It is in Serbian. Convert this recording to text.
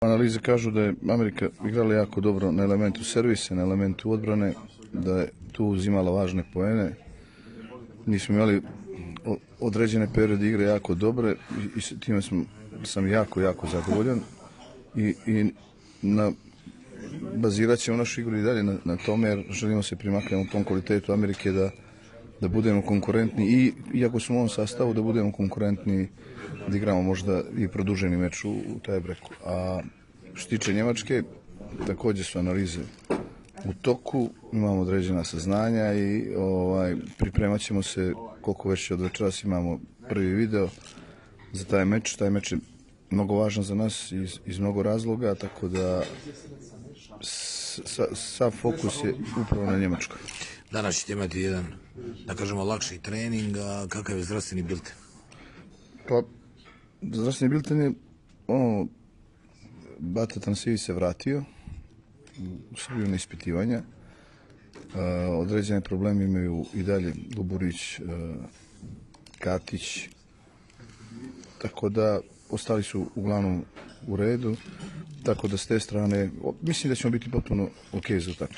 Analize kažu da je Amerika igrala jako dobro na elementu servisa, na elementu odbrane, da je tu uzimala važne poene. Nismo imali određene periode igre jako dobre i s time sam jako zadovoljan i bazirat ćemo našu igru i dalje na tome, jer želimo se primaknemo tom kvalitetu Amerike da budemo konkurentni i iako smo u ovom sastavu da budemo konkurentni, da igramo možda i produženi meč u tiebreaku. A što tiče Njemačke, također su analize u toku, imamo određena saznanja i pripremat ćemo se koliko već od večeras imamo prvi video za taj meč. Taj meč je mnogo važan za nas iz mnogo razloga, tako da sav fokus je upravo na Njemačkoj. Danas ćete imati jedan, da kažemo, lakši trening, a kakav je zdravstveni bilten? Pa, zdravstveni bilten je, Bata Tansivi se vratio u Srbiju na ispitivanja. Određene probleme imaju i dalje Luburić, Katić, tako da ostali su uglavnom u redu, tako da s te strane mislim da ćemo biti potpuno ok za utakmicu.